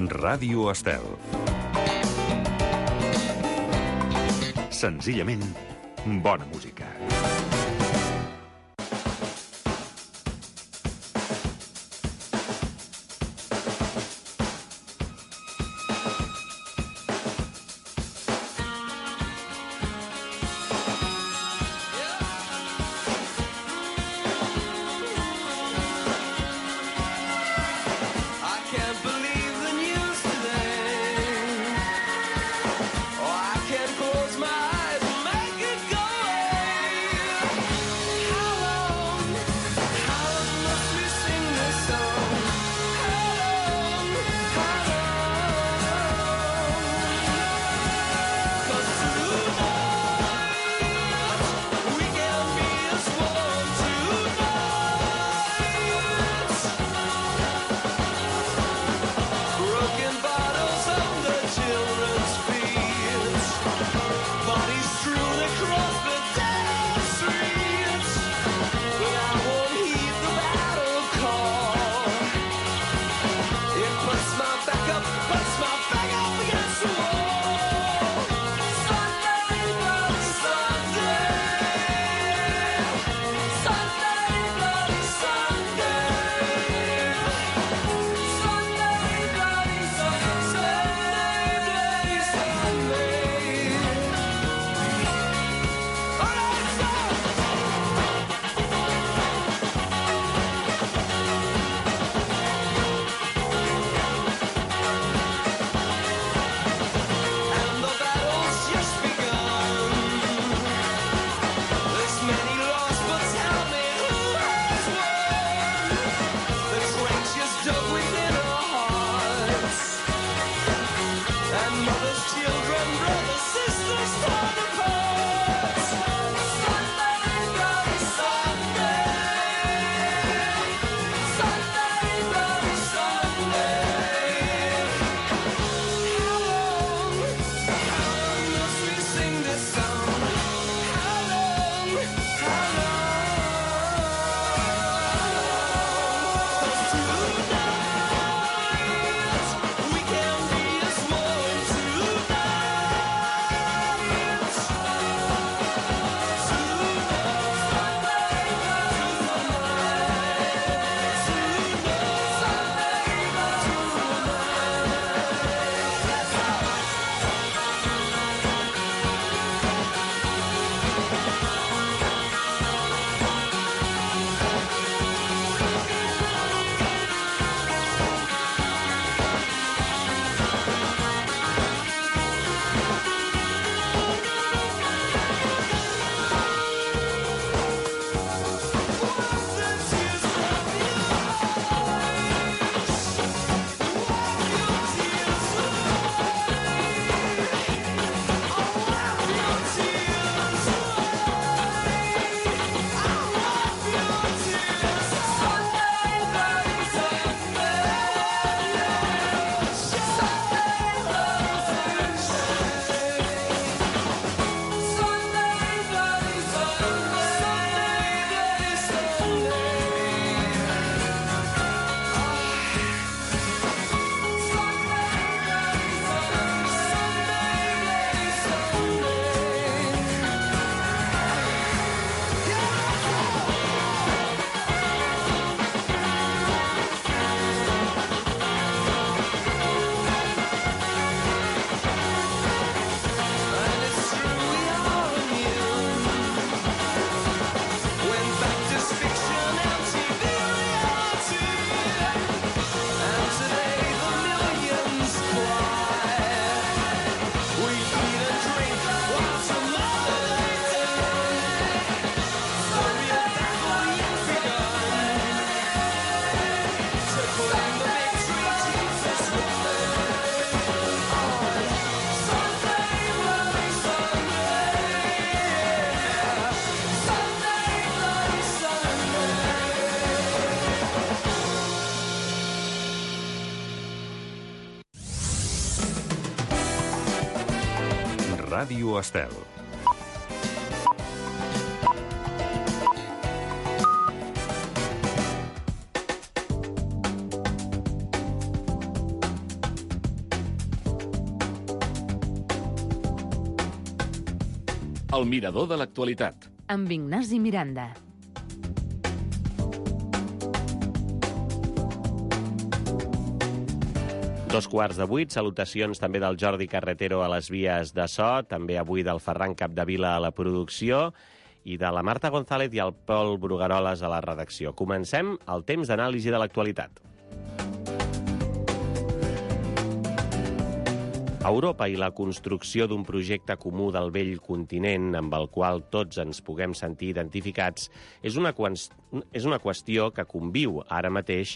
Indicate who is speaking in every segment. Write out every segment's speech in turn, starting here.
Speaker 1: Ràdio Estel. Senzillament, bona música. Ràdio Estel.
Speaker 2: El mirador de l'actualitat.
Speaker 3: Amb Ignasi Miranda.
Speaker 4: Dos quarts de 8, salutacions també del Jordi Carretero a les vies de so, també avui del Ferran Capdevila a la producció i de la Marta González i el Pol Brugueroles a la redacció. Comencem el temps d'anàlisi de l'actualitat. Europa i la construcció d'un projecte comú del vell continent amb el qual tots ens puguem sentir identificats és una qüestió que conviu ara mateix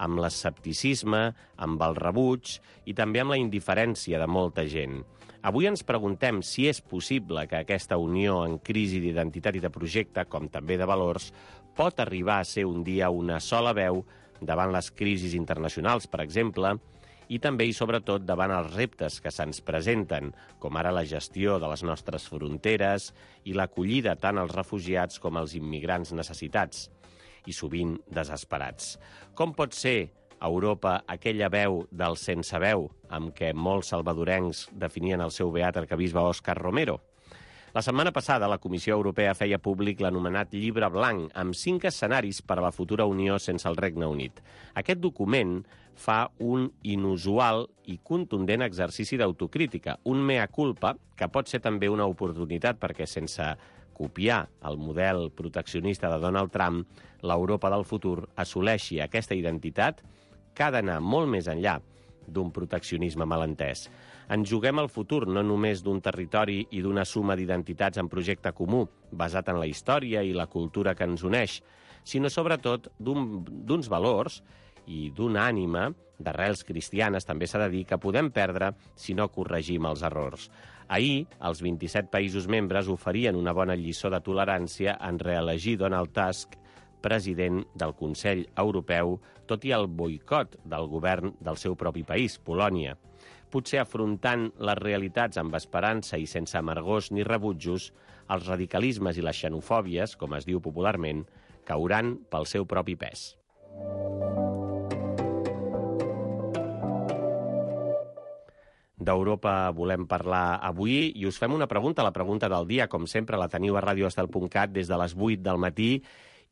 Speaker 4: amb l'escepticisme, amb el rebuig i també amb la indiferència de molta gent. Avui ens preguntem si és possible que aquesta unió en crisi d'identitat i de projecte, com també de valors, pot arribar a ser un dia una sola veu davant les crisis internacionals, per exemple, i també i sobretot davant els reptes que se'ns presenten, com ara la gestió de les nostres fronteres i l'acollida tant als refugiats com als immigrants necessitats, i sovint desesperats. Com pot ser Europa aquella veu del sense veu amb què molts salvadorencs definien el seu beat arquebisbe Òscar Romero? La setmana passada, la Comissió Europea feia públic l'anomenat Llibre Blanc, amb 5 escenaris per a la futura Unió sense el Regne Unit. Aquest document fa un inusual i contundent exercici d'autocrítica, un mea culpa, que pot ser també una oportunitat perquè sense copiar el model proteccionista de Donald Trump, l'Europa del futur assoleixi aquesta identitat que ha d'anar molt més enllà d'un proteccionisme malentès. Ens juguem el futur no només d'un territori i d'una suma d'identitats en projecte comú, basat en la història i la cultura que ens uneix, sinó sobretot d'uns valors i d'una ànima, d'arrels cristianes, també s'ha de dir, que podem perdre si no corregim els errors. Ahir, els 27 països membres oferien una bona lliçó de tolerància en reelegir Donald Tusk president del Consell Europeu, tot i el boicot del govern del seu propi país, Polònia. Potser afrontant les realitats amb esperança i sense amargors ni rebutjos, els radicalismes i les xenofòbies, com es diu popularment, cauran pel seu propi pes. D'Europa volem parlar avui i us fem una pregunta, la pregunta del dia. Com sempre, la teniu a radioestel.cat des de les 8 del matí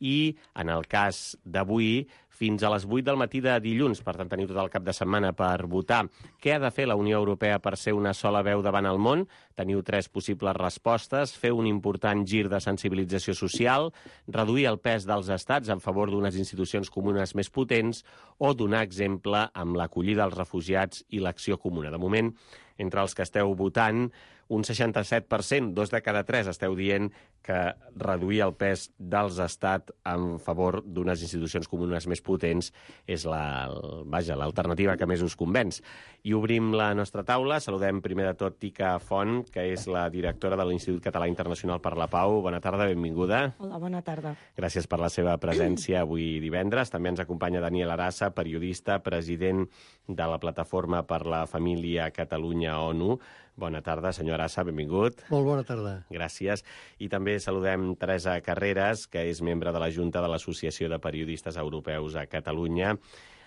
Speaker 4: i, en el cas d'avui, fins a les 8 del matí de dilluns. Per tant, teniu tot el cap de setmana per votar. Què ha de fer la Unió Europea per ser una sola veu davant el món? Teniu 3 possibles respostes. Fer un important gir de sensibilització social, reduir el pes dels estats en favor d'unes institucions comunes més potents o donar exemple amb l'acollida als refugiats i l'acció comuna. De moment, entre els que esteu votant, un 67%, 2 de cada 3, esteu dient que reduir el pes dels estats en favor d'unes institucions comunes més potents és l'alternativa que més us convenç. I obrim la nostra taula. Saludem primer de tot Tica Font, que és la directora de l'Institut Català Internacional per la Pau. Bona tarda, benvinguda.
Speaker 5: Hola, bona tarda.
Speaker 4: Gràcies per la seva presència avui divendres. També ens acompanya Daniel Arassa, periodista, president de la Plataforma per la Família Catalunya-ONU. Bona tarda, senyor Arassa, benvingut.
Speaker 6: Molt bona tarda.
Speaker 4: Gràcies. I també saludem Teresa Carreras, que és membre de la Junta de l'Associació de Periodistes Europeus a Catalunya.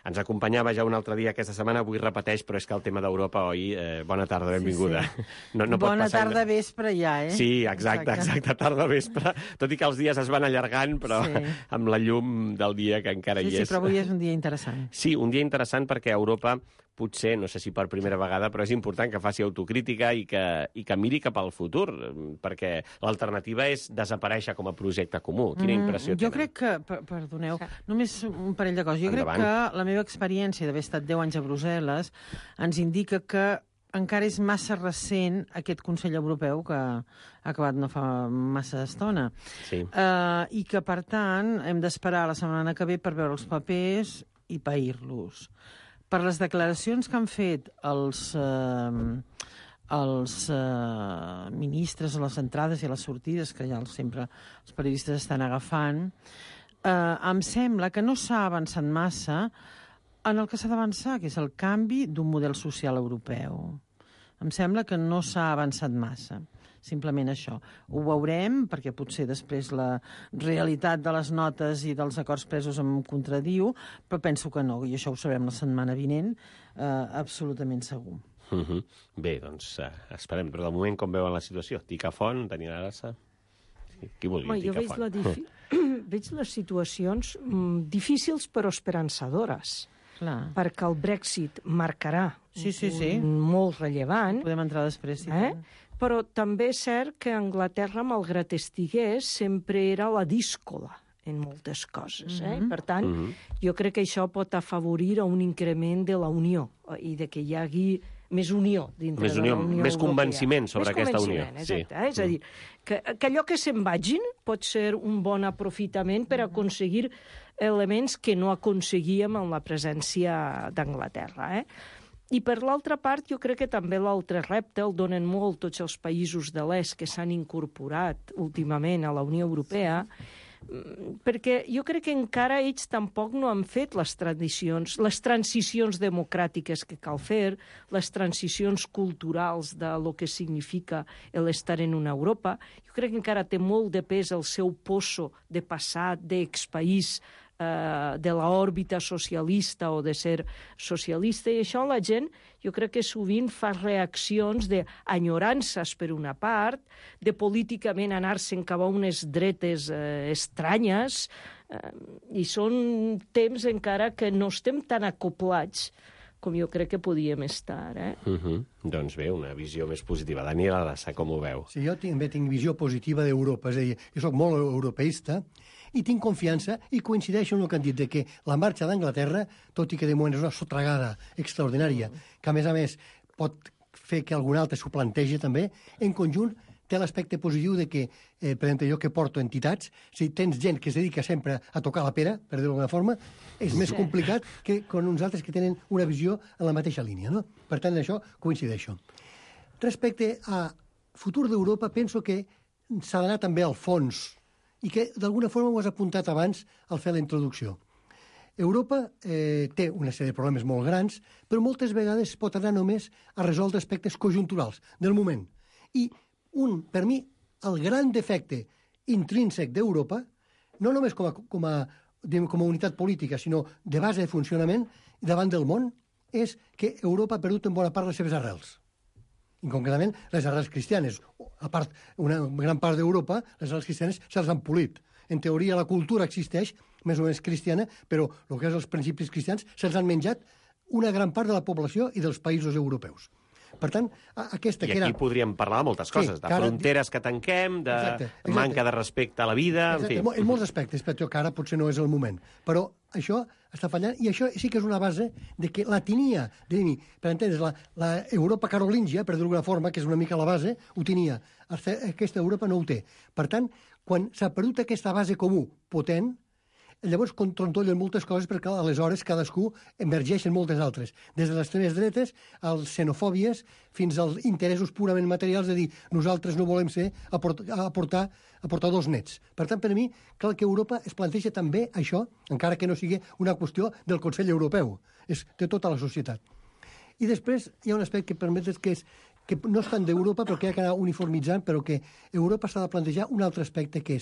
Speaker 4: Ens acompanyava ja un altre dia aquesta setmana, avui repeteix, però és que el tema d'Europa, oi? Bona tarda, benvinguda.
Speaker 5: Sí.
Speaker 4: No pot
Speaker 5: bona
Speaker 4: passar
Speaker 5: tarda, vespre ja, eh?
Speaker 4: Sí, exacte, tarda, vespre. Tot i que els dies es van allargant, però sí, amb la llum del dia que encara hi és.
Speaker 5: Sí, però avui és un dia interessant.
Speaker 4: Sí, un dia interessant perquè Europa potser, no sé si per primera vegada, però és important que faci autocrítica i que miri cap al futur, perquè l'alternativa és desaparèixer com a projecte comú. Quina impressió tenen?
Speaker 5: Jo crec que, perdoneu, només un parell de coses. Jo crec que la meva experiència d'haver estat 10 anys a Brussel·les ens indica que encara és massa recent aquest Consell Europeu que ha acabat no fa massa estona.
Speaker 4: Sí.
Speaker 5: I que, per tant, hem d'esperar la setmana que ve per veure els papers i pair-los. Per les declaracions que han fet els ministres a les entrades i a les sortides, que ja sempre els periodistes estan agafant, em sembla que no s'ha avançat massa en el que s'ha d'avançar, que és el canvi d'un model social europeu. Em sembla que no s'ha avançat massa. Simplement això. Ho veurem, perquè potser després la realitat de les notes i dels acords presos em contradiu, però penso que no, i això ho sabrem la setmana vinent, absolutament segur.
Speaker 4: Bé, doncs esperem. Però de moment com veuen la situació? Ticafont, Daniel Arasa? Qui volia Ticafont?
Speaker 2: Veig les situacions difícils però esperançadores.
Speaker 5: Clar.
Speaker 2: Perquè el Brexit marcarà molt rellevant.
Speaker 5: Podem entrar després, sí.
Speaker 2: Però també és cert que Anglaterra, malgrat estigués, sempre era la díscola en moltes coses. Per tant, jo crec que això pot afavorir un increment de la unió i de que hi hagi més unió dintre de la Unió
Speaker 4: més
Speaker 2: Europea.
Speaker 4: Convenciment sobre aquesta unió.
Speaker 2: Exacte. És a dir, que allò que se'n vagin pot ser un bon aprofitament per aconseguir elements que no aconseguíem amb la presència d'Anglaterra. I per l'altra part, jo crec que també l'altre repte el donen molt tots els països de l'est que s'han incorporat últimament a la Unió Europea, perquè jo crec que encara ells tampoc no han fet les transicions democràtiques que cal fer, les transicions culturals de lo que significa l'estar en una Europa. Jo crec que encara té molt de pes el seu poso de passat, d'expaís, de l'òrbita socialista o de ser socialista, i això la gent jo crec que sovint fa reaccions d'enyorances per una part, de políticament anar-se'n cap a unes dretes estranyes, i són temps encara que no estem tan acoplats com jo crec que podíem estar.
Speaker 4: Doncs bé, una visió més positiva. Daniel Arasa, com ho veu?
Speaker 6: Sí, jo també tinc visió positiva d'Europa, és a dir, jo soc molt europeista i tinc confiança i coincideixo en el que han dit, de que la marxa d'Anglaterra, tot i que de moment és una sotragada extraordinària, que a més pot fer que algun altre s'ho plantegi també, en conjunt té l'aspecte positiu de que, per exemple, jo que porto entitats, si tens gent que es dedica sempre a tocar la pera, per dir-ho d'alguna forma, és més complicat que con uns altres que tenen una visió en la mateixa línia, no? Per tant, en això coincideixo. Respecte a futur d'Europa, penso que s'ha d'anar també al fons i que d'alguna forma ho has apuntat abans al fer la introducció. Europa té una sèrie de problemes molt grans, però moltes vegades pot anar només a resoldre aspectes conjunturals del moment. I per mi, el gran defecte intrínsec d'Europa, no només com a unitat política, sinó de base de funcionament davant del món, és que Europa ha perdut en bona part les seves arrels. I concretament les arrels cristianes. A part, una gran part d'Europa, les arrels cristianes se'ls han polit. En teoria la cultura existeix, més o menys cristiana, però el que és els principis cristians se'ls han menjat una gran part de la població i dels països europeus. Per tant, aquesta
Speaker 4: que era... I aquí podríem parlar de moltes coses, de fronteres que tanquem, de manca de respecte a la vida...
Speaker 6: En molts aspectes, però que ara potser no és el moment. Però això està fallant, i això sí que és una base de que la tenia, per entendre's, la Europa carolíngia, per dir-ho d'alguna forma, que és una mica la base, ho tenia. Aquesta Europa no ho té. Per tant, quan s'ha perdut aquesta base comú potent, llavors trontollen moltes coses perquè aleshores cadascú emergeix en moltes altres. Des de les extremes dretes, als xenofòbies, fins als interessos purament materials de dir nosaltres no volem ser aportadors nets. Per tant, per mi, cal que Europa es planteja també això, encara que no sigui una qüestió del Consell Europeu. És de tota la societat. I després hi ha un aspecte que permetes que no és tant d'Europa, però que ha d'anar uniformitzant, però que Europa s'ha de plantejar un altre aspecte, que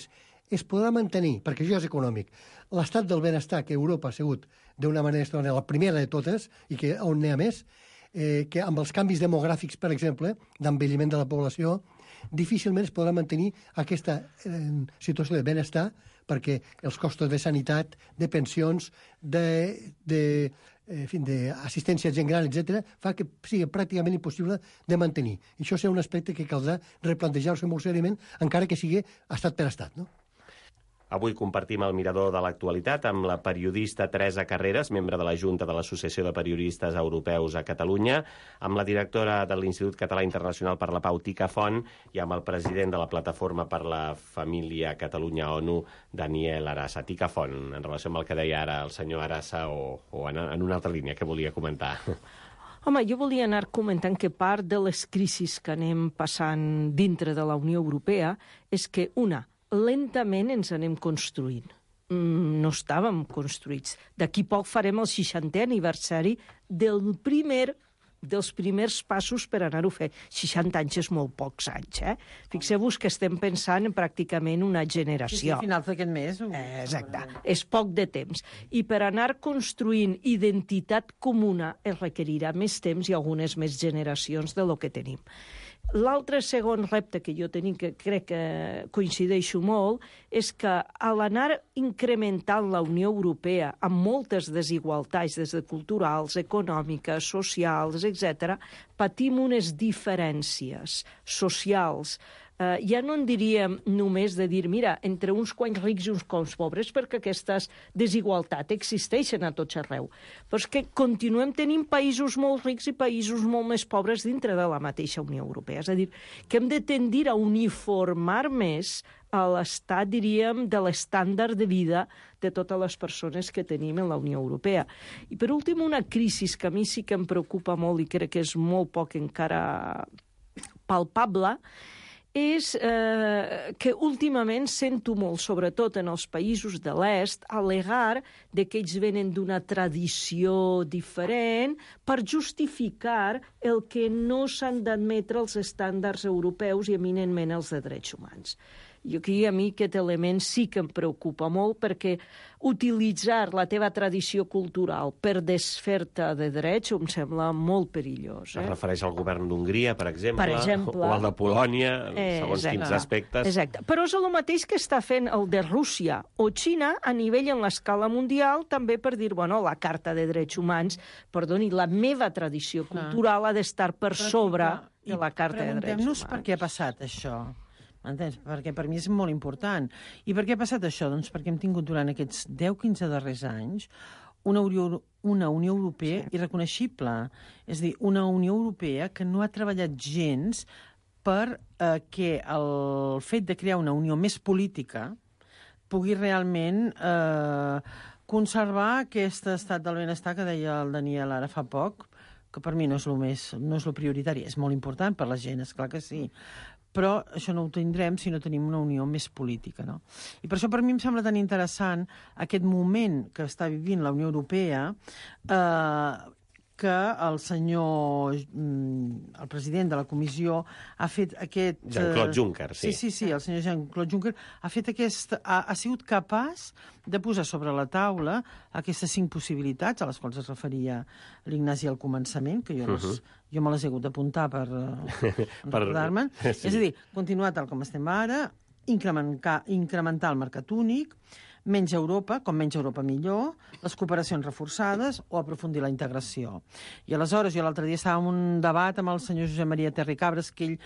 Speaker 6: es podrà mantenir, perquè això és econòmic, l'estat del benestar que Europa ha sigut d'una manera extraordinària, la primera de totes, i que on n'hi ha més, que amb els canvis demogràfics, per exemple, d'envelliment de la població, difícilment es podrà mantenir aquesta situació de benestar, perquè els costos de sanitat, de pensions, d'assistència a gent gran, etc., fa que sigui pràcticament impossible de mantenir. I això serà un aspecte que caldrà replantejar-se molt seriament, encara que sigui estat per estat, no?
Speaker 4: Avui compartim el mirador de l'actualitat amb la periodista Teresa Carreras, membre de la Junta de l'Associació de Periodistes Europeus a Catalunya, amb la directora de l'Institut Català Internacional per la Pau, Ticafont, i amb el president de la Plataforma per la Família Catalunya-ONU, Daniel Arasa. Ticafont, en relació amb el que deia ara el senyor Arasa, o en una altra línia que volia comentar.
Speaker 2: Home, jo volia anar comentant que part de les crisis que anem passant dintre de la Unió Europea és que, lentament ens anem construint. No estàvem construïts. D'aquí poc farem el 60è aniversari del primer dels primers passos per anar-ho a fer. 60 anys és molt pocs anys, eh? Fixeu-vos que estem pensant en pràcticament una generació.
Speaker 5: Sí, a finals d'aquest mes.
Speaker 2: Exacte, és poc de temps. I per anar construint identitat comuna es requerirà més temps i algunes més generacions de lo que tenim. L'altre segon repte que jo tenim, que crec que coincideixo molt, és que a l'anar incrementant la Unió Europea amb moltes desigualtats, des de culturals, econòmiques, socials, etc., patim unes diferències socials. Ja no en diríem només de dir, mira, entre uns quants rics i uns quants pobres, perquè aquestes desigualtats existeixen a tots arreu. Però és que continuem tenint països molt rics i països molt més pobres dintre de la mateixa Unió Europea. És a dir, que hem de tendir a uniformar més a l'estat, diríem, de l'estàndard de vida de totes les persones que tenim en la Unió Europea. I per últim, una crisi que a mi sí que em preocupa molt i crec que és molt poc encara palpable, és que últimament sento molt, sobretot en els països de l'est, al·legar que ells venen d'una tradició diferent per justificar el que no s'han d'admetre els estàndards europeus i eminentment els de drets humans. I aquí a mi aquest element sí que em preocupa molt, perquè utilitzar la teva tradició cultural per desfer-te de drets em sembla molt perillós.
Speaker 4: Es refereix al govern d'Hongria, per exemple, o al de Polònia, segons
Speaker 2: exacte,
Speaker 4: quins aspectes.
Speaker 2: Exacte. Però és el mateix que està fent el de Rússia o Xina a nivell en l'escala mundial, també per dir, bueno, la Carta de Drets Humans, perdoni, la meva tradició cultural ha d'estar per sobre de la Carta de Drets Humans.
Speaker 5: Preguntem-nos per què ha passat això. Entens? Perquè per mi és molt important. I per què ha passat això? Doncs perquè hem tingut durant aquests 10-15 darrers anys una Unió Europea irreconeixible. És a dir, una Unió Europea que no ha treballat gens per que el fet de crear una unió més política pugui realment conservar aquest estat del benestar que deia el Daniel ara fa poc, que per mi no és el prioritari. És molt important per la gent, esclar que sí. Però això no ho tindrem si no tenim una unió més política, no? I per això per mi em sembla tan interessant aquest moment que està vivint la Unió Europea, que el senyor, el president de la comissió, ha fet aquest...
Speaker 4: Jean-Claude Juncker, sí.
Speaker 5: Sí, el senyor Jean-Claude Juncker ha fet ha sigut capaç de posar sobre la taula aquestes 5 possibilitats a les quals es referia l'Ignasi al començament, que jo me les he hagut d'apuntar per recordar-me'n. Sí. És a dir, continuar tal com estem ara, incrementar el mercat únic, menys Europa, com menys Europa millor, les cooperacions reforçades o aprofundir la integració. I aleshores, jo l'altre dia estava en un debat amb el senyor Josep Maria Terricabras, que ell,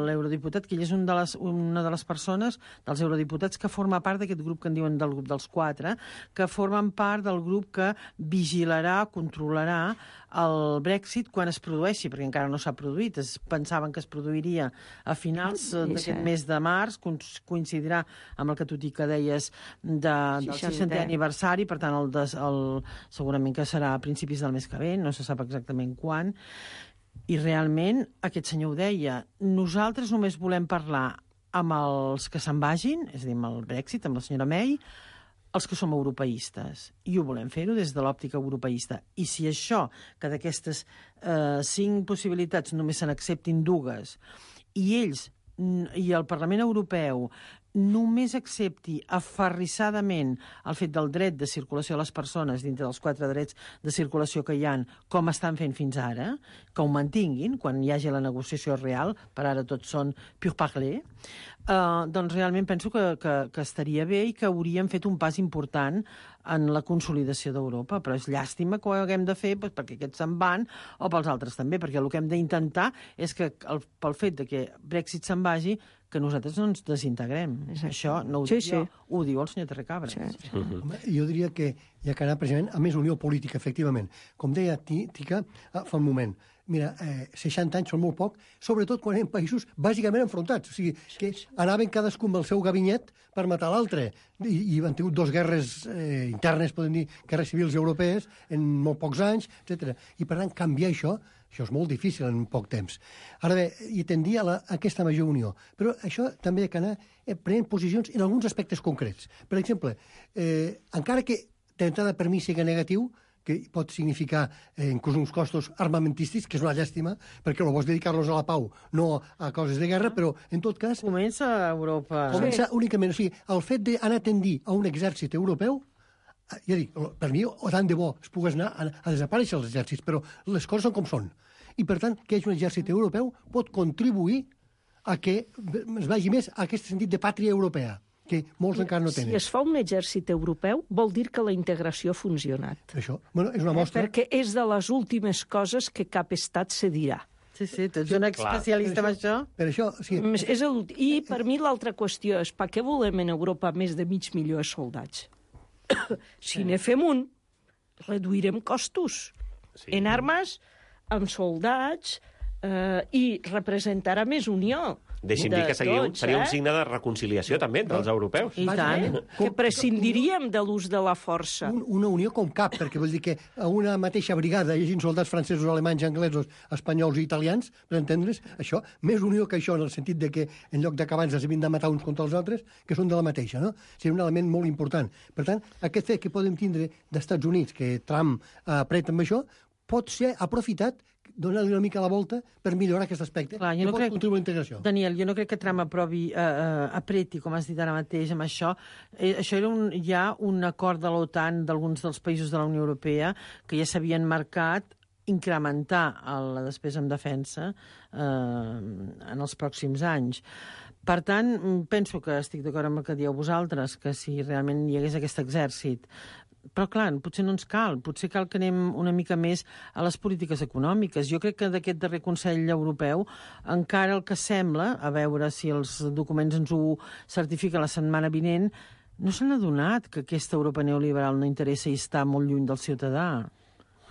Speaker 5: l'eurodiputat, que ell és una de les persones, dels eurodiputats, que forma part d'aquest grup que en diuen del grup dels 4, que formen part del grup que vigilarà, controlarà el Brexit quan es produeixi, perquè encara no s'ha produït. Pensaven que es produiria a finals d'aquest mes de març, coincidirà amb el que tu que deies del 60è aniversari, per tant, segurament que serà a principis del mes que ve, no se sap exactament quan. I realment, aquest senyor ho deia, nosaltres només volem parlar amb els que se'n vagin, és a dir, amb el Brexit, amb la senyora May, els que som europeistes, i ho volem fer-ho des de l'òptica europeista. I si això, que d'aquestes 5 possibilitats només se n'acceptin 2, i ells i el Parlament Europeu només accepti aferrissadament el fet del dret de circulació de les persones dintre dels 4 drets de circulació que hi ha, com estan fent fins ara, que ho mantinguin quan hi hagi la negociació real, per ara tots són pur parler, doncs realment penso que estaria bé i que hauríem fet un pas important en la consolidació d'Europa, però és llàstima que ho haguem de fer perquè aquests se'n van o pels altres també, perquè el que hem d'intentar és que pel fet de que Brexit se'n vagi, que nosaltres no ens desintegrem. Exacte. Això no ho dic jo, ho diu el senyor Terricabras. Sí.
Speaker 6: Home, jo diria que hi ha que anar precisament a més unió política, efectivament. Com deia Tica fa un moment, mira, 60 anys són molt poc, sobretot quan eren països bàsicament enfrontats. O sigui, que anaven cadascun amb el seu gabinet per matar l'altre. I han tingut 2 guerres internes, podem dir, guerres civils europees, en molt pocs anys, etc. I, per tant, canviar això és molt difícil en poc temps. Ara bé, i tendia a aquesta major unió. Però això també ha d'anar prenent posicions en alguns aspectes concrets. Per exemple, encara que d'entrada per mi sigui negatiu, que pot significar inclús uns costos armamentístics, que és una llàstima, perquè el bo és dedicar-los a la pau, no a coses de guerra, però en tot cas...
Speaker 5: Comença a Europa.
Speaker 6: Comença únicament, o sigui, el fet d'anar a tendir a un exèrcit europeu, ja dic, per mi, tant de bo es pogués anar a desaparèixer els exèrcits, però les coses són com són. I, per tant, que hi hagi un exèrcit europeu pot contribuir a que es vagi més a aquest sentit de pàtria europea, que molts encara no tenen.
Speaker 2: Si es fa un exèrcit europeu, vol dir que la integració ha funcionat.
Speaker 6: Això, bueno, és una mostra...
Speaker 2: Perquè és de les últimes coses que cap estat cedirà.
Speaker 5: Sí, tu ets un especialista en això.
Speaker 6: Per això, sí.
Speaker 2: I per mi l'altra qüestió és per què volem en Europa més de 500 000 de soldats? Si ne fem un, reduirem costos. En armes, amb soldats, i representarà més unió.
Speaker 4: Deixi'm dir que seria un signe de reconciliació també entre els europeus.
Speaker 5: I tant.
Speaker 2: Que prescindiríem de l'ús de la força.
Speaker 6: Una unió com cap, perquè vol dir que a una mateixa brigada hi hagi soldats francesos, alemanys, anglesos, espanyols i italians, per entendre's, això, més unió que això, en el sentit de que en lloc d'acabar ens havien de matar uns contra els altres, que són de la mateixa, no? Seria un element molt important. Per tant, aquest fet que podem tindre d'Estats Units, que Trump apreta amb això, pot ser aprofitat, donar-li una mica la volta per millorar aquest aspecte.
Speaker 5: Clar,
Speaker 6: que pot contribuir a la integració.
Speaker 5: Daniel, jo no crec que Trump apreti, com has dit ara mateix, amb això. Això era ja un acord de l'OTAN d'alguns dels països de la Unió Europea que ja s'havien marcat incrementar la despesa en defensa en els pròxims anys. Per tant, penso que estic d'acord amb el que dieu vosaltres, que si realment hi hagués aquest exèrcit. Però, clar, potser no ens cal. Potser cal que anem una mica més a les polítiques econòmiques. Jo crec que d'aquest darrer Consell Europeu encara el que sembla, a veure si els documents ens ho certifiquen la setmana vinent, no s'han adonat que aquesta Europa neoliberal no interessa i està molt lluny del ciutadà.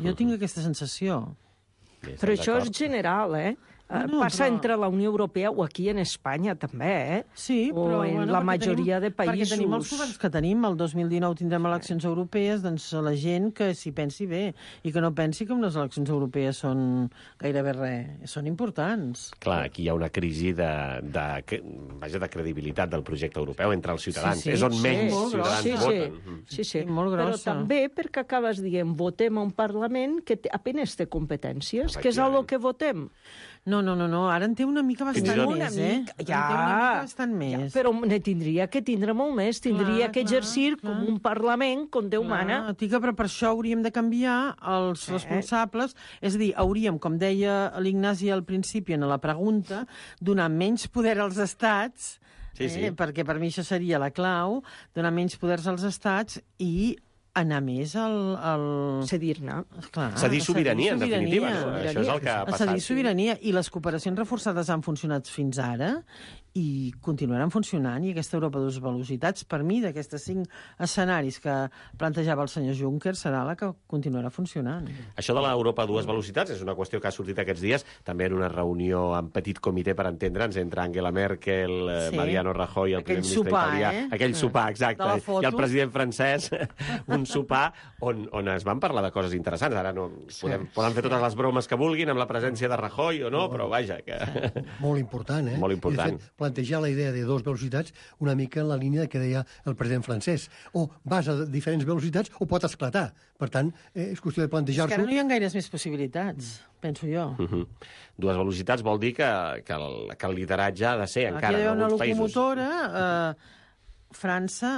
Speaker 5: Jo tinc aquesta sensació.
Speaker 2: Però això és general, passa entre la Unió Europea o aquí en Espanya, també,
Speaker 5: Sí, però...
Speaker 2: O en la majoria de països...
Speaker 5: Perquè tenim els governs que tenim. El 2019 tindrem eleccions europees, doncs la gent que s'hi pensi bé i que no pensi que unes eleccions europees són gairebé res. Són importants.
Speaker 4: Clar, aquí hi ha una crisi de credibilitat del projecte europeu entre els ciutadans. És on menys ciutadans voten.
Speaker 2: Sí.
Speaker 5: Molt grossa.
Speaker 2: Però també perquè acabes dient votem a un Parlament que apenas té competències, que és a lo que votem.
Speaker 5: No, ara en té una mica bastant més, En té una mica bastant més.
Speaker 2: Però ne tindria que tindre molt més. Tindria que exercir com un Parlament, com Déu mana.
Speaker 5: Tica, però per això hauríem de canviar els responsables. És a dir, hauríem, com deia l'Ignasi al principi en la pregunta, donar menys poder als estats, perquè per mi això seria la clau, donar menys poders als estats i anar més al...
Speaker 2: Cedir-ne.
Speaker 4: Cedir sobirania, en definitiva. Això és el que ha passat.
Speaker 5: Cedir sobirania. I les cooperacions reforçades han funcionat fins ara i continuaran funcionant. I aquesta Europa de dues velocitats, per mi, d'aquestes 5 escenaris que plantejava el senyor Juncker, serà la que continuarà funcionant.
Speaker 4: Això de l'Europa a dues velocitats és una qüestió que ha sortit aquests dies, també en una reunió en petit comitè, per entendre'ns, entre Angela Merkel, Mariano Rajoy, el primer ministre italià. Aquell sopar, exacte. I el president francès, un sopar on es van parlar de coses interessants. Ara no poden fer totes les bromes que vulguin amb la presència de Rajoy o no, però vaja.
Speaker 6: Molt important,
Speaker 4: Molt important.
Speaker 6: I, de fet, plantejar la idea de dues velocitats una mica en la línia que deia el president francès. O vas a diferents velocitats o pot esclatar. Per tant, és qüestió de plantejar-s'ho.
Speaker 5: És que ara no hi ha gaires més possibilitats, penso jo.
Speaker 4: Dues velocitats vol dir que el lideratge ha de ser encara en alguns països.
Speaker 5: Aquí hi ha una locomotora, França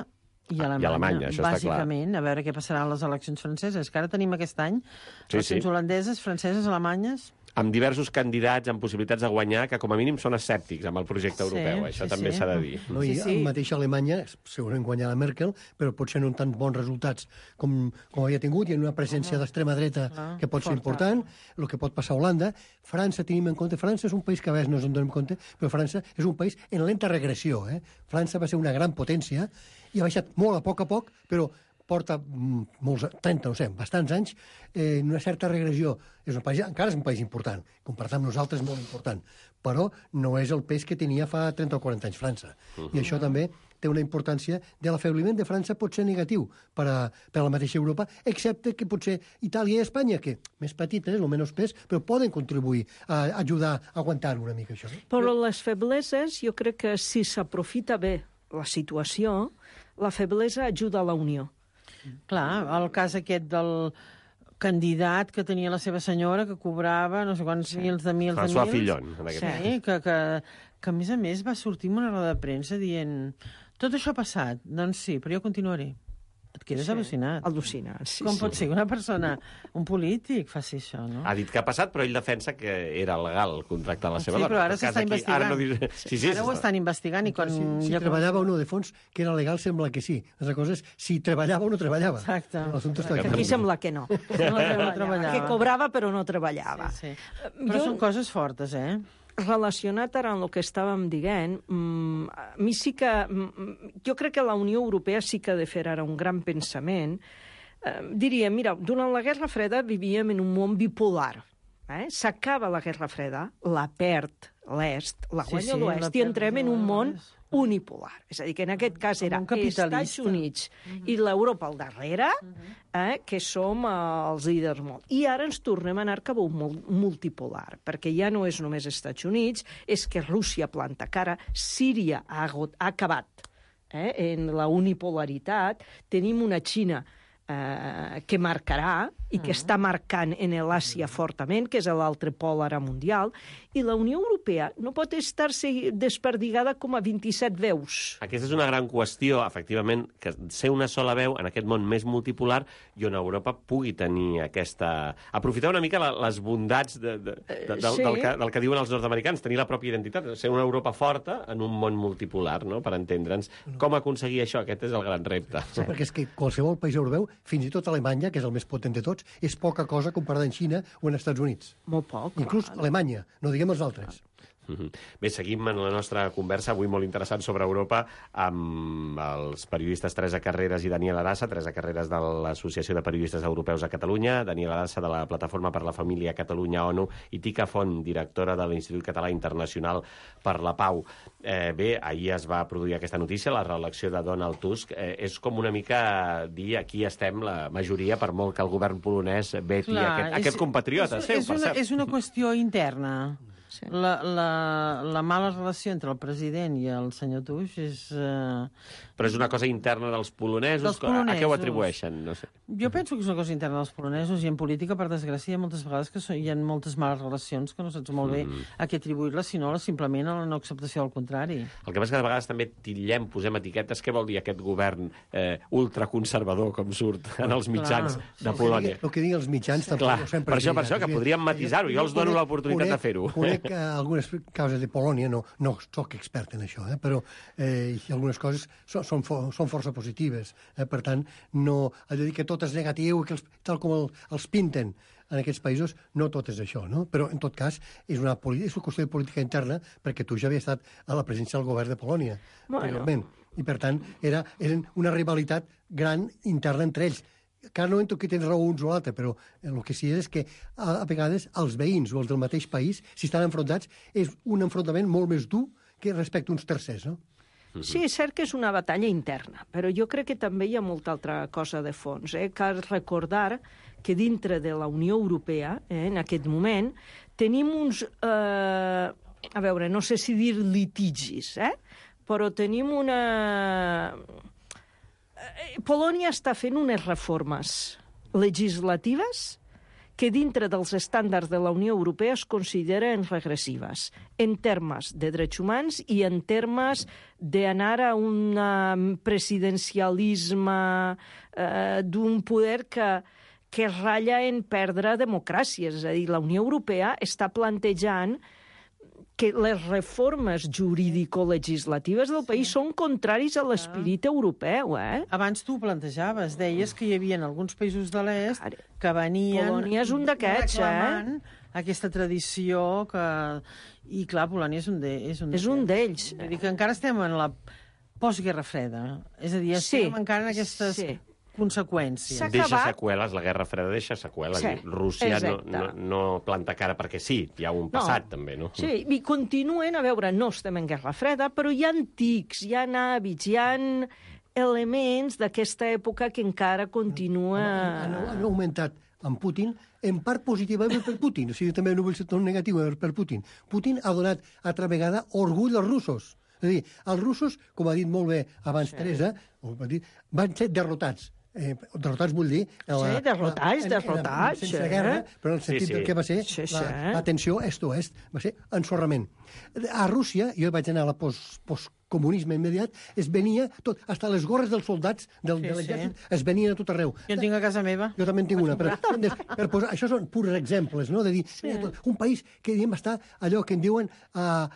Speaker 5: i Alemanya,
Speaker 4: això
Speaker 5: bàsicament. A veure què passarà a les eleccions franceses, que ara tenim aquest any eleccions holandeses, franceses, alemanyes...
Speaker 4: Amb diversos candidats amb possibilitats de guanyar que com a mínim són escèptics amb el projecte europeu. Això també s'ha de dir.
Speaker 6: No, i el mateix Alemanya, segurament guanyarà Merkel, però potser no amb tants bons resultats com havia tingut, i en una presència d'extrema dreta que pot ser important, el que pot passar a Holanda. França, tenim en compte, França és un país que a vegades no ens en donem compte, però França és un país en lenta regressió. França va ser una gran potència i ha baixat molt a poc, però porta molts, 30, no sé, bastants anys, en una certa regressió. És un país, encara és un país important, comparat amb nosaltres molt important, però no és el pes que tenia fa 30 o 40 anys França. I això també té una importància de l'afebliment de França pot ser negatiu per a la mateixa Europa, excepte que potser Itàlia i Espanya, que més petites, el menys pes, però poden contribuir a ajudar a aguantar una mica això.
Speaker 2: Però les febleses, jo crec que si s'aprofita bé la situació, la feblesa ajuda a la unió.
Speaker 5: Clar, el cas aquest del candidat que tenia la seva senyora, que cobrava no sé quants mils de mils.
Speaker 4: François Fillon, en aquest
Speaker 5: Sí, que a més va sortir en una roda de premsa dient tot això ha passat. Doncs sí, però jo continuaré. Et quedes al·lucinat.
Speaker 2: Al·lucinant, sí.
Speaker 5: Com pot ser que una persona, un polític, faci això, no?
Speaker 4: Ha dit que ha passat, però ell defensa que era legal contractar la seva
Speaker 5: Sí,
Speaker 4: dona.
Speaker 5: però ara
Speaker 4: En tot cas,
Speaker 5: s'està
Speaker 4: aquí,
Speaker 5: investigant.
Speaker 4: Ara no diu... Sí,
Speaker 5: Ara ho estan investigant i quan...
Speaker 6: Si treballava o no de fons, que era legal, sembla que sí. L'altra cosa és si treballava o no treballava.
Speaker 5: Exacte.
Speaker 6: L'assumpte està
Speaker 2: Aquí sembla que no.
Speaker 5: No treballava.
Speaker 2: Que cobrava però no treballava.
Speaker 5: Sí, sí. Però són coses fortes, eh?
Speaker 2: Relacionat ara amb el que estàvem dient, a mi sí que... Jo crec que la Unió Europea sí que ha de fer ara un gran pensament. Diria, mira, durant la Guerra Freda vivíem en un món bipolar. S'acaba la Guerra Freda, la perd l'est, la guanya l'oest, i entrem en un món unipolar. És a dir, que en aquest cas era Estats Units i l'Europa al darrere, que som els líders molt. I ara ens tornem a anar cap a un multipolar, perquè ja no és només Estats Units, és que Rússia planta cara, Síria ha acabat en la unipolaritat, tenim una Xina que marcarà i que està marcant en l'Àsia fortament, que és l'altre pol ara mundial, i la Unió Europea no pot estar-se desperdigada com a 27 veus.
Speaker 4: Aquesta és una gran qüestió, efectivament, que ser una sola veu en aquest món més multipolar i on Europa pugui tenir aquesta... Aprofitar una mica les bondats del que diuen els nord-americans, tenir la pròpia identitat, ser una Europa forta en un món multipolar, no?, per entendre'ns. Com aconseguir això? Aquest és el gran repte.
Speaker 6: Sí, perquè és que qualsevol país europeu, fins i tot Alemanya, que és el més potent de tots, és poca cosa comparada amb Xina o en Estats Units.
Speaker 2: Molt poc.
Speaker 6: Inclús Alemanya, no diguem els altres.
Speaker 4: Bé, seguim en la nostra conversa, avui molt interessant sobre Europa, amb els periodistes Teresa Carreras i Daniel Arassa. Teresa Carreras de l'Associació de Periodistes Europeus a Catalunya, Daniel Arassa de la Plataforma per la Família Catalunya-ONU i Tica Font, directora de l'Institut Català Internacional per la Pau. Bé, ahir es va produir aquesta notícia, la reelecció de Donald Tusk. És com una mica dir aquí estem la majoria, per molt que el govern polonès veti aquest compatriota seu, per cert.
Speaker 5: És una qüestió interna.
Speaker 2: Sí.
Speaker 5: La mala relació entre el president i el senyor Tusk és...
Speaker 4: Però és una cosa interna dels polonesos? A què ho atribueixen? No sé.
Speaker 5: Jo penso que és una cosa interna dels polonesos, i en política, per desgràcia, hi ha moltes vegades que hi ha moltes males relacions que no saps molt bé a què atribuir-les, sinó simplement a la no acceptació del contrari.
Speaker 4: El que passa que de vegades també titllem, posem etiquetes, què vol dir aquest govern ultraconservador, com surt en els mitjans de Polònia?
Speaker 6: El que diguen els mitjans tampoc no sempre...
Speaker 4: Per això, que podríem matisar-ho. Jo els dono l'oportunitat de fer-ho.
Speaker 6: Conec algunes causes de Polònia, no soc expert en això, però algunes coses són força positives. Per tant, no ha de dir que tot és negatiu, que tal com els pinten en aquests països, no tot és això, no? Però, en tot cas, és una qüestió de política interna, perquè tu ja havia estat a la presència del govern de Polònia, anteriorment. I, per tant, eren una rivalitat gran interna entre ells. Encara no entro que tens raó uns o l'altre, però el que sí és que a vegades els veïns o els del mateix país, si estan enfrontats, és un enfrontament molt més dur que respecte a uns tercers, no?
Speaker 2: Sí, és cert que és una batalla interna, però jo crec que també hi ha molta altra cosa de fons. Cal recordar que dintre de la Unió Europea, en aquest moment, tenim uns... a veure, no sé si dir litigis, però tenim una... Polònia està fent unes reformes legislatives que dintre dels estàndards de la Unió Europea es consideren regressives, en termes de drets humans i en termes d'anar a un presidencialisme d'un poder que ratlla en perdre democràcia. És a dir, la Unió Europea està plantejant que les reformes jurídico-legislatives del país són contraris a l'esperit europeu,
Speaker 5: Abans tu ho plantejaves, deies que hi havia alguns països de l'est que venien...
Speaker 2: Polònia és un d'aquests,
Speaker 5: reclamant aquesta tradició que... I clar, Polònia és un d'ells. Vull dir que encara estem en la postguerra freda. És a dir, estem encara en aquestes... conseqüències.
Speaker 4: Deixa seqüeles, la Guerra Freda deixa seqüeles.
Speaker 2: Sí,
Speaker 4: Rússia no planta cara perquè sí, hi ha un passat també, no?
Speaker 2: Sí, i continuen, a veure, no estem en Guerra Freda, però hi ha antics, hi ha hàbits, hi ha elements d'aquesta època que encara continua...
Speaker 6: Han augmentat amb Putin, en part positivament per Putin, o sigui, també no vull ser tot negatiu per Putin. Putin ha donat altra vegada orgull als russos. És a dir, els russos, com ha dit molt bé abans Teresa, van ser derrotats derrotats vull dir...
Speaker 2: Sí, derrotats.
Speaker 6: Sense guerra, però en el sentit del que va ser la tensió est-oest, va ser ensorrament. A Rússia, jo vaig anar a la postcomunisme immediat, es venia tot, fins les gorres dels soldats de l'exèrcit es venien a tot arreu.
Speaker 5: Jo en tinc a casa meva.
Speaker 6: Jo també en tinc una, però per posar, això són purs exemples, no? De dir, un país que diguem està allò que en diuen en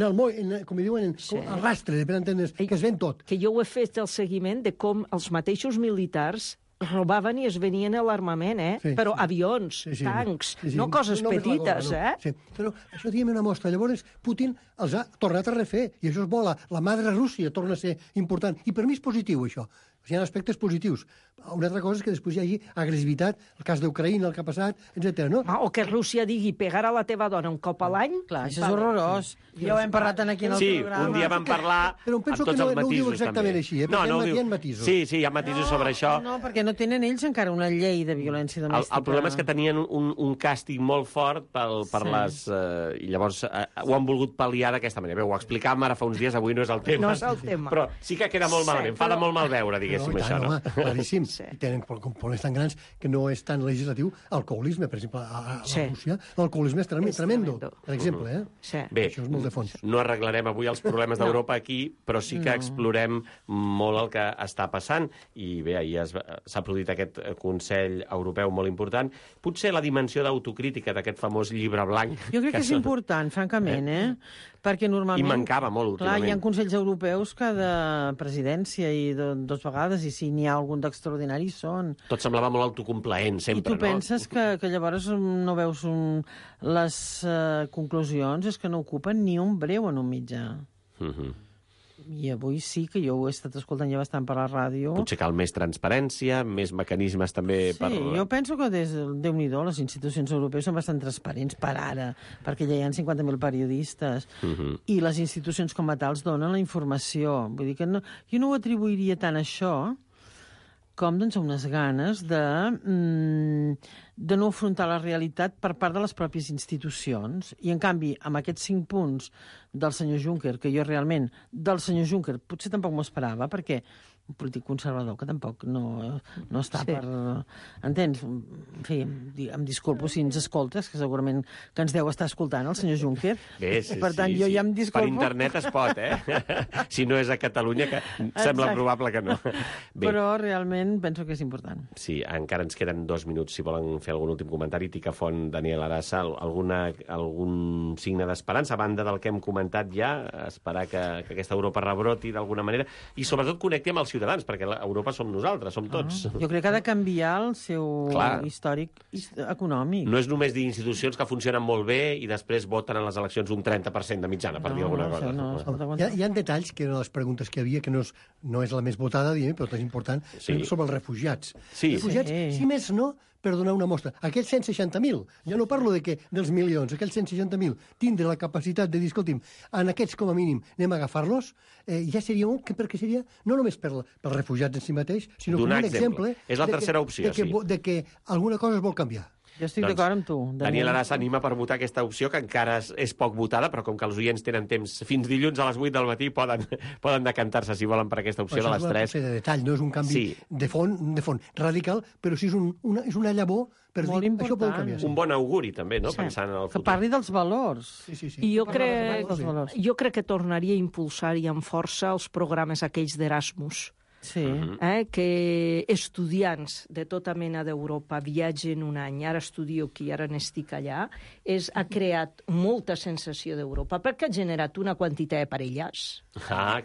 Speaker 6: el moll, com diuen, al rastre, per entendre's, que es ven tot.
Speaker 2: Que jo ho he fet el seguiment de com els mateixos militars robaven i es venien a l'armament, però avions, tancs, no coses petites,
Speaker 6: Sí. Però això diguem una mostra. Llavors, Putin els ha tornat a refer, i això és bo, la madre Rússia torna a ser important. I per mi és positiu, això. Hi ha aspectes positius. Una altra cosa és que després hi hagi agressivitat, el cas d'Ucraïna, el que ha passat, etc. No?
Speaker 2: O que Rússia digui pegar a la teva dona un cop a l'any.
Speaker 5: Clar, això és horrorós. Ja ho hem parlat aquí en el programa.
Speaker 4: Sí, un dia vam parlar
Speaker 6: però penso
Speaker 4: amb tots els matisos.
Speaker 6: No ho diu exactament així, perquè hi ha matisos.
Speaker 4: Sí, hi ha matisos sobre això.
Speaker 5: No, perquè no tenen ells encara una llei de violència domèstica.
Speaker 4: El problema és que tenien un càstig molt fort per les... I llavors ho han volgut pal·liar d'aquesta manera. Bé, ho explicàvem ara fa uns dies, avui no és el tema.
Speaker 2: No és el tema.
Speaker 4: Però sí que queda molt malament. Fa de molt mal veure, diguéssim, això, no?
Speaker 6: Claríssim. I tenen problemes tan grans que no és tan legislatiu. Alcoholisme, per exemple, a Rússia, l'alcoholisme és tremendo, per exemple.
Speaker 4: Bé,
Speaker 6: això és molt de fons.
Speaker 4: No arreglarem avui els problemes d'Europa aquí, però sí que explorem molt el que està passant. I bé, ahir s'ha produït aquest Consell Europeu molt important. Potser la dimensió d'autocrítica d'aquest famós llibre blanc...
Speaker 5: Jo crec que és important, francament, perquè normalment...
Speaker 4: I mancava molt, últimament.
Speaker 5: Clar, hi ha consells europeus cada presidència i dues vegades, i si n'hi ha algun d'extraordinari són...
Speaker 4: Tot semblava molt autocomplaent, sempre, no?
Speaker 5: I tu penses que llavors no veus les conclusions, és que no ocupen ni un breu en un mitjà. I avui sí que jo ho he estat escoltant ja bastant per la ràdio.
Speaker 4: Potser cal més transparència, més mecanismes també per...
Speaker 5: Sí, jo penso que Déu-n'hi-do, les institucions europees són bastant transparents per ara, perquè ja hi ha 50.000 periodistes, i les institucions com a tals donen la informació. Vull dir que no, jo no ho atribuiria tant a això com doncs, unes ganes de no afrontar la realitat per part de les pròpies institucions. I, en canvi, amb aquests 5 punts del senyor Juncker, que jo realment, del senyor Juncker, potser tampoc m'ho esperava, perquè un polític conservador que tampoc no està per... Entens? En fi, em disculpo si ens escoltes, que segurament que ens deu estar escoltant el senyor Juncker.
Speaker 4: Bé,
Speaker 5: per tant, jo ja em disculpo.
Speaker 4: Per internet es pot, Si no és a Catalunya, que sembla probable que no. Bé.
Speaker 5: Però realment penso que és important.
Speaker 4: Sí, encara ens queden 2 minuts, si volen fer algun últim comentari. Ticafont, Daniel Arassa, algun signe d'esperança, a banda del que hem comentat ja, esperar que aquesta Europa rebroti d'alguna manera, i sobretot connecti amb els ciutadans, perquè Europa som nosaltres, som tots.
Speaker 5: Jo crec que ha de canviar el seu històric econòmic.
Speaker 4: No és només dir institucions que funcionen molt bé i després voten en les eleccions un 30% de mitjana, per dir alguna cosa.
Speaker 6: Hi ha detalls, que eren les preguntes que havia, que no és la més votada, però és important, sobre els refugiats. Refugiats, si més no, per donar una mostra. Aquells 160.000, ja no parlo dels milions, aquells 160.000, tindre la capacitat de dir, escolti'm, en aquests com a mínim anem a agafar-los, ja seria un, perquè seria no només per refugiats en si mateix, sinó com un exemple.
Speaker 4: És la tercera opció,
Speaker 6: de que alguna cosa es vol canviar.
Speaker 5: Jo estic d'acord amb tu.
Speaker 4: Daniel Arassa anima per votar aquesta opció, que encara és poc votada, però com que els oients tenen temps fins dilluns a les 8 del matí, poden decantar-se, si volen, per aquesta opció de les 3.
Speaker 6: Això és de detall, no és un canvi de font radical, però sí és una llavor per dir, això pot canviar.
Speaker 4: Un bon auguri, també, no? Pensant en el futur.
Speaker 5: Que parli dels valors.
Speaker 2: I jo crec que tornaria a impulsar i amb força els programes aquells d'Erasmus. Que estudiants de tota mena d'Europa viatgen un any, ara estudio aquí, ara n'estic allà, ha creat molta sensació d'Europa, perquè ha generat una quantitat de parelles.
Speaker 4: Clar.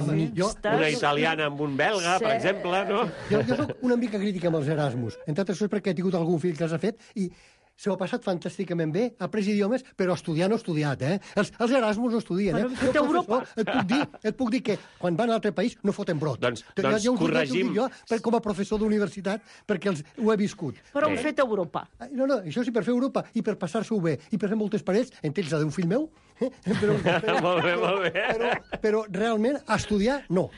Speaker 4: Una italiana amb un belga, per exemple, no?
Speaker 6: Jo soc una mica crítica amb els Erasmus, entre altres coses perquè he tingut algun fill que els ha fet i s'ho ha passat fantàsticament bé, ha après idiomes, però estudiar no ha estudiat, Els Erasmus no estudien, Et puc dir que quan van a un altre país no foten brot.
Speaker 4: Doncs corregim...
Speaker 6: Jo com a professor d'universitat, perquè ho he viscut.
Speaker 2: Però ho he fet a Europa.
Speaker 6: No, això sí, per fer Europa i per passar-s'ho bé i per fer moltes parets, entre ells la d'un fill meu,
Speaker 4: molt bé.
Speaker 6: Però realment, estudiar, no.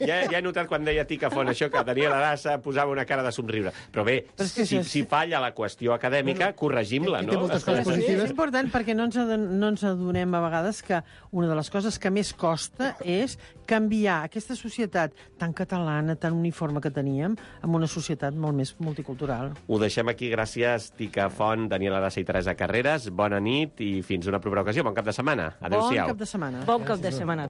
Speaker 4: Ja he notat quan deia Tica Font això, que Daniel Arassa posava una cara de somriure. Però bé, si falla la qüestió acadèmica, corregim-la, no?
Speaker 6: Té moltes coses
Speaker 5: És
Speaker 6: positives.
Speaker 5: important perquè no ens adonem a vegades que una de les coses que més costa és canviar aquesta societat tan catalana, tan uniforme que teníem, en una societat molt més multicultural.
Speaker 4: Ho deixem aquí. Gràcies, Tica Font, Daniel Arassa i Teresa Carreras. Bona nit i fins una propera ocasió. Bon cap de setmana. Adéu-siau.
Speaker 5: Bon cap de setmana.
Speaker 2: Bon cap de setmana.